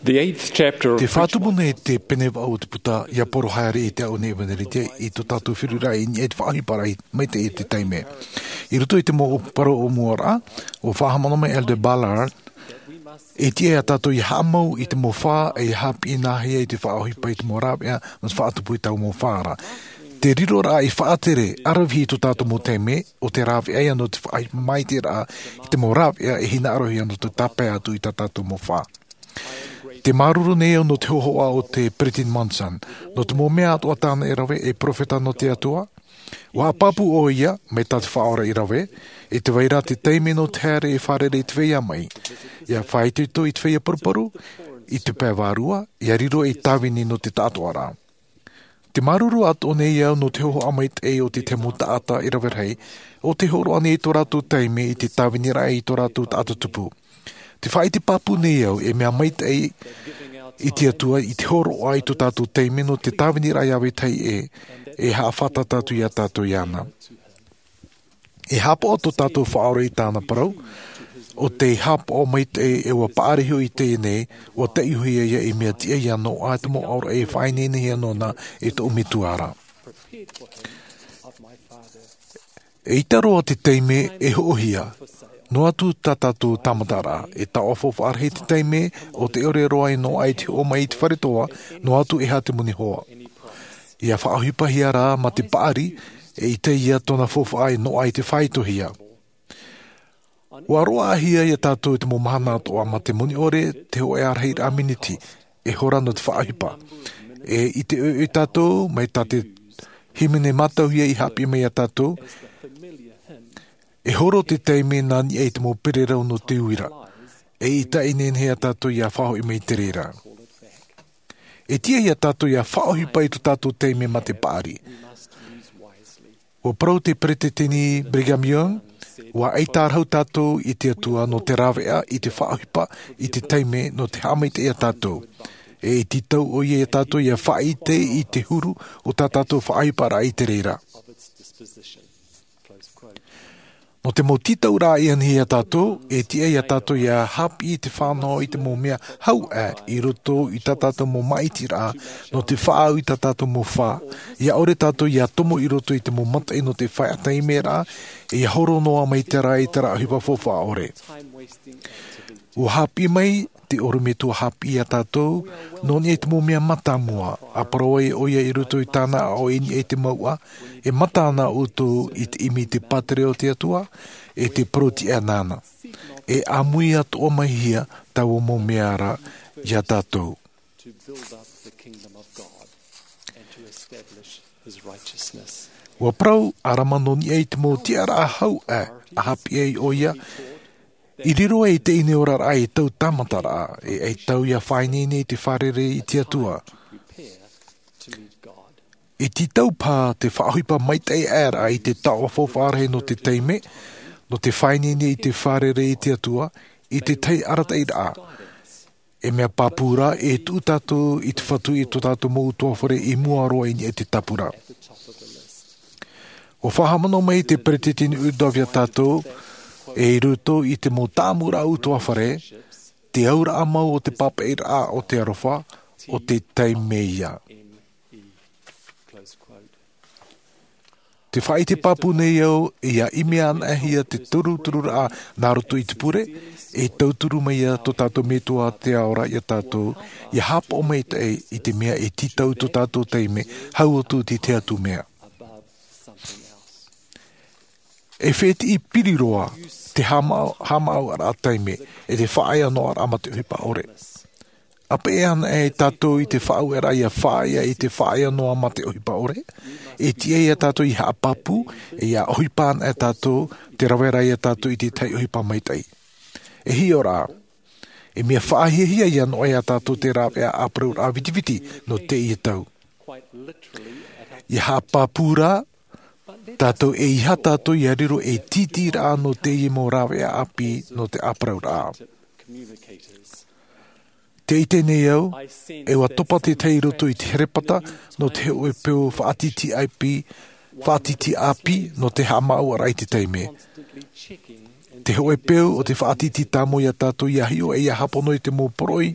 The eighth chapter of Te whātumu nei te pene o te puta ia poro haere i te au nei veneritia i to tātou whirura i e te whaahipara i mai te e te teime. I roto i te mō paro o mua rā, o whahamana mai Elder Ballard, e tia a tātou i haamau i te mō whā e hapi i nāhia i te whaahipa i te mō rāpea, na te whaatupu i tau mō whāra. Te riro rā i whaatere arawhi i to tātou mō teime, o te rāwhi ai anō te whaahipa mai te rā i te mō rāpea e hina arohi anō te tāpea atu i tā tātou mō whā. Te maruru nei au no te hohoa o te Pretin Monson, no te mō mea atua tāna e rawe e profeta no te atua. Wā papu o ia, me tā te whaora i rawe, e te weira te teime no te haere e wharere i te weia mai. Ia whaituito i te weia paruparu, i te pēwārua, ia riro i tāwini no te tātoa rā. Te maruru ato nei au no te hoho amai te o te temo taata i rawerhei, o te horo ane i tō rātou teime i te tāwini rā i tō rātou taata tupu. Te whai te papu nei au e mea mai te i te atua i te horo ai tō tātou teime no te tāwini rā iawe tei e, e haawhata tātou i a tātou i ana. E hapo o tō tātou whaore i tāna parau, o te hapo o mai te e ua paariho i tēnei, o te ihu ia i mea tia ia no ai te mo aura e whainene hea nona e tō umituara. E i taroa te teime e ho'ohia, no atu tā tātou tamatara, e ta ofo whaarhe te teime o te ore roa i no ai te o mai i te wharetoa, no atu e ha te muni hoa. Ia whaahupahia rā ma te paari, e i te ia tōna fofo ai no ai te whaitohia. Ua roa ahia ia tātou te mō mahana atoa ma te moni ore te ho e arhei aminiti, e hora no te whaahipa. E i te ui tātou, mai tā te himene matauhia i hapi mai a tātou, e horo te teime nani e te mō pererau no te uira. E i ta inen hea tātou ia whaho i mei te rera. E tia ia tātou ia whaohipa i to tātou teime ma te pāri. Ua parau te preteteni Brigham Young, ua ei tārhau tātou i te atua no te rawea, i te whaohipa, i te teime no te hamai te ia tātou. E i titau o ia tātou ia whaite i te huru o tā tātou whaaipa rā i te reira. No te mō titau rā i anhi a tātou, e tia ia tātou ia hapi i te whānau i te mō mea hau e i roto i tā tātou mō maiti rā, no te whaau i tā tātou mō whā. Ia ore tātou ia tomo i roto i te mō matai no te whai atai me rā, e ia horo noa mai te rā i te rā hipa fōwhā ore. O hapi mai, te oro me tua hapi a tātou, no ni e te mō mea matamua, a paroe o ia i roto i tāna o ini e te maua, e mata ana o tō i te imi te patere o te atua, e te paroti e nāna. E amui atu o mai hia, tau o mō mea rā, i a tātou. To build up the kingdom of God and to establish his righteousness. Ua parau a Ramanoni e te mō tiara a hau e, a hapi e o ia, i riro e te ine ora rā e tau tamata rā, e e tau ia whainene i te wharere i te atua. To prepare to meet God. E ti tau pā te whaahuipa mai te ēra i te tawa whawhārehe no te teime, no te whainene i te wharere i te atua, i te tei arata i rā. E mea pāpūra e tū tātou i te whatu i tō tātou mō utua whare i mua roa i e te tapura. At the top of the list. O whahamano mai te pretetini udawia tātou, e i ruto i te mō tāmura utua whare, te aura amau o te papeira o te arofa, o te teimeia. M-E. Close quote. Te whai te papu nei au, ia ime ana e hia te turu turu rā nā roto i te pure, e tauturu mai ia tō tātou metoa te aora i a tātou, i hapo mai te e, i te mea e titau tō tātou teime, hau o tū te te atu mea. Above something else. E whēti i piriroa te hamau, hamau ara teime, e te whaia no ara ama te uhipa ore. Ape e ana e tātou i te whaau e rai a whaia i te whaia noa ma te ohipa ore. E tia ia tātou i haapapu, e ia ohipa ana e tātou, te rawe rai a tātou i te tai ohipa mai tai. E hi ora, e mea whaahia ia no e a tātou te rā e a aprau rā vitiviti no te ia tau. Quite literally at our I haapapu rā, But let tātou e iha tātou i a riro e titi rā no te ia mō rāwe a api no te aprau rā. tip communicators. Te i tēnei au, I sense e ua that topa te some tei roto i te herepata no te heo e peo whaatiti IP, whaatiti api no te hamau ara i te teime. constantly checking Te hoe peu o te whaatiti tāmo ia tātou ia hio e ia hapono i te mō poroi,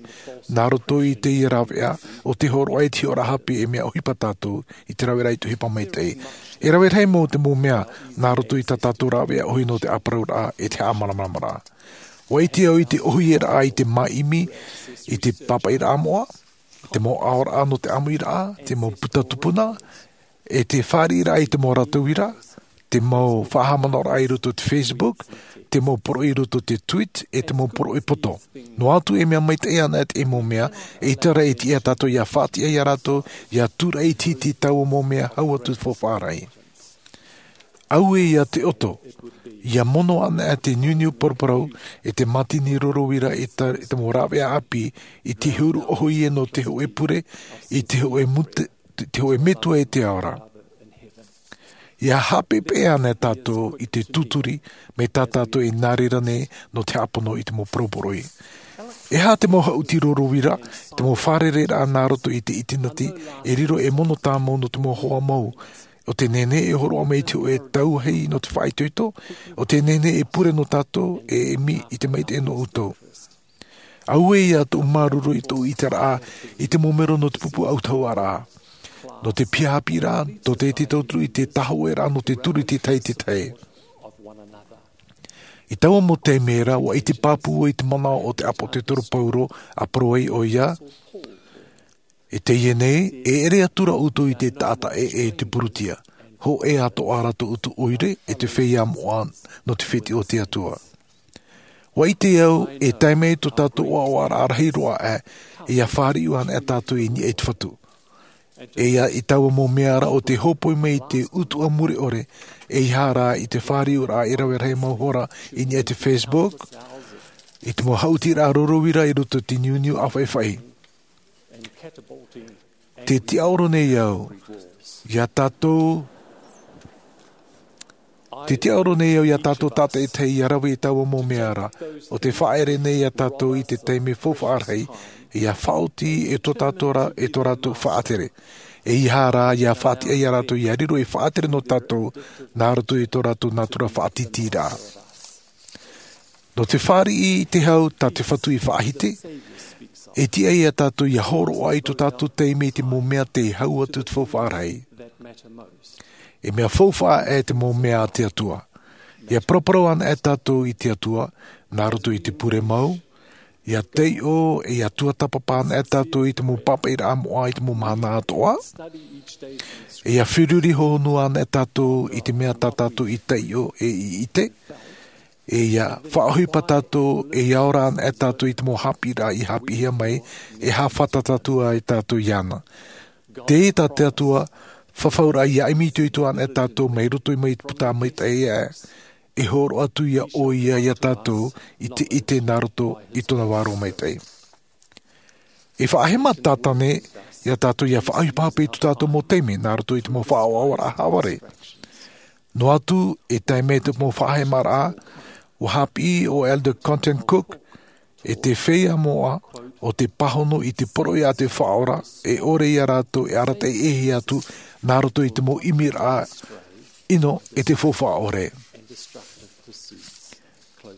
nā roto i te ia rawea, o te horo ai te ora hapi e mea ohipa tātou, i te rawera i tuhipa mai te. E rawe rei mō te mō mea, nā roto i tā tātou rawea ohi no te aparau rā e te āmaramara. Waiti au i te ohi e rā i te maimi, i te papa i rā moa, te mō aora no te amu i rā, te mō puta tupuna, e te whāri rā i te mō rātou i rā, te mō whahamana rā i roto te Facebook, te mō poro i roto te tweet, e te mō poro i poto. No atu e mea mai te ana e te mō mea, e te rei ti e tātou ia whāti e ia rātou, ia tūra i titi tau mō mea hau atu fo whārai. Au e ia te oto, ia mono ana e te niuniu poroporau, e te matini rorowira e te mō rawea api, i te huru oho i e no te hoe pure, i te hoe mute, te hoe metua e te aora. Ia hapepe ana tātou i te tuturi me tā tātou i nārera nei no te apono i te mō poroporoi. E hā te mō hauti rorowira, te mō wharere rā nā roto i te itinati, e riro e mono tāmau no te mō hoa mau. O te nene e horo ame i te e tau hei no te whaitoito, o te nene e pure no tātou e emi i te meite e no utou. Aue ia tō maruru i tō itara i te momero no te pupu autau ara. No te piapi rā, tō te te tauturu i te taho e rā, no te turu te tei te tei. I taua mo te mera, wa i te pāpua i te mana o te apo te toro pauro, a paroei o ia, e te ie nei, e ere atura utu i te tata e e te purutia. Ho e ato arato utu oire e te wheia moa no te whiti o te atua. Wa i te au, e taimei tō tātou oa o ara arahi roa e, e ia whāri uana e tātou i ni e te whatu. E ia i taua mō meara o te hopoi mei te utu a muri ore, e i hāra i te whāri ora e rawe rei mauhora i ni e te Facebook, i te mō hauti rā rorowira i roto te niuniu a whai. Te tiaoro nei au, ia tātou, te tiaoro nei au ia tātou tātou e te ia rawe i taua mō meara, o te whaere nei ia tātou i te teime fōwhaarhei, ia whaoti e tō tātou rā, e tō rātou whaatere. E i hārā, ia whaati e ia rātou, ia riro i whaatere no tātou, nā roto i tō rātou nātura whaatiti rā. No te whāri i te hau, tā te whatu i whaahite, e tia ia tātou ia horo ai tō tātou teime i te mō mea te hau atu te whauwhārei. E mea whauwhā e te mō mea a te atua. Ia poroporo ana e tātou i te atua, nā roto i te pure mau, ia teio e ia tuatapapa ana e tātou i te mō papa i rā moa i te mō mana atoa. E ia whiruri hohonu ana e tātou i te mea tā tātou i teio e i te. E ia whaahuipa tātou e ia ora ana e tātou i te mō hapi rā i hapi hia mai e hāwhata tātou ai tātou i ana. Te e tā te atua whawhaura ia imi tui tu ana e tātou mai roto i mai puta mai te e e horo atu ia o ia ia tātou i te ite nā roto i tōna wāro mai tei. E whaahema tātane ia tātou ia whaahupape i tu tātou mō teime nā roto i te mō whaawawara haware. No atu e taime te mō whaahema rā, o hapi o Elder Content Cook, e te wheia moa o te pahono i te poro i a te whaora, e ore ia rātou e arata e ehi atu nā roto i te mō imi rā ino e te fōwhaore.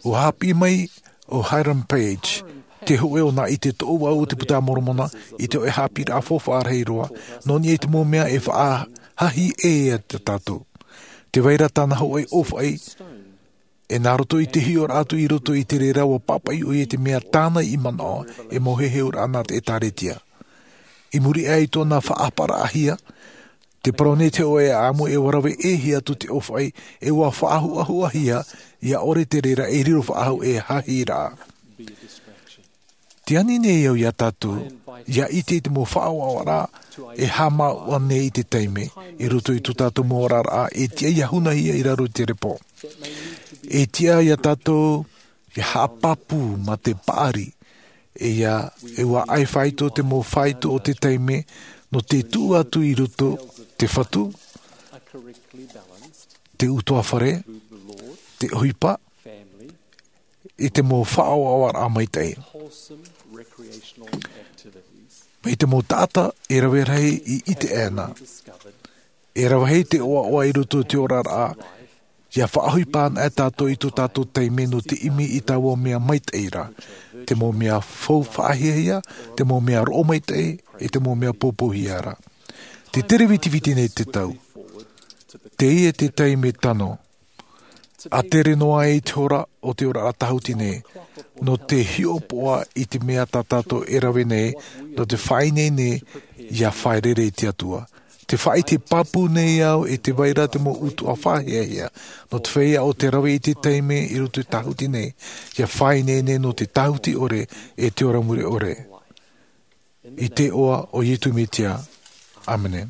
O hapi mai o Hiram Page, te hoe o nā i te tō au o te puta moromona, i te oe hapi rā fōwhaarhei roa, no ni e te mō mea e whaahahi e e te tātou. Te waira tāna hoe o whai, e nā roto i te hio rātou i roto i te rera o papai o i te mea tāna i manao e mohehe ora ana te e tāretia. I muri ai tōna whaapara ahia, te parone te oe a amo e warawe e hia tu te owhai e wā whaahu ahu ahia ia ore te rera e riro whaahu e hahi rā. Te ani nei au ia tātou, ia i te mō whaawao rā, e hama ane i te teime, i roto i tō tātou mō rā rā, e tia ia hunahia i raro i te repo. E tia ia tātou, ia hapapu ma te paari, e ia e wā ai whaito te mō whaito o te teime, no te tū atu i roto te whatu, te utoa whare, te huipa, i te mō whaawawara a mai tei. Mei te mō tāta e rawe rei i te ēna. E rawe hei te oa oa i roto te ora rā, Ia whaahui pāna e tātou i tō tātou teime no te imi i tāua mea maitei rā. Te mō mea fou whaahia, te mō mea ro maitei, e te mō mea pōpōhia rā. Te tere whitiwhiti nei te tau. Te ia te teime tano. A tere noa e te ora o te ora a tahuti nei. No te hiopoa i te mea tā tātou e rawe nei, no te whai nei nei, ia whai rere i te atua. Te whai te papu nei au e te waira te mo utu a whahea hea. No te whaia o te rawe i te teime i roto i tahuti nei, ia whai nei nei no te tahuti ore e te ora muri ore. I te oa o Ietu Metia. Amene.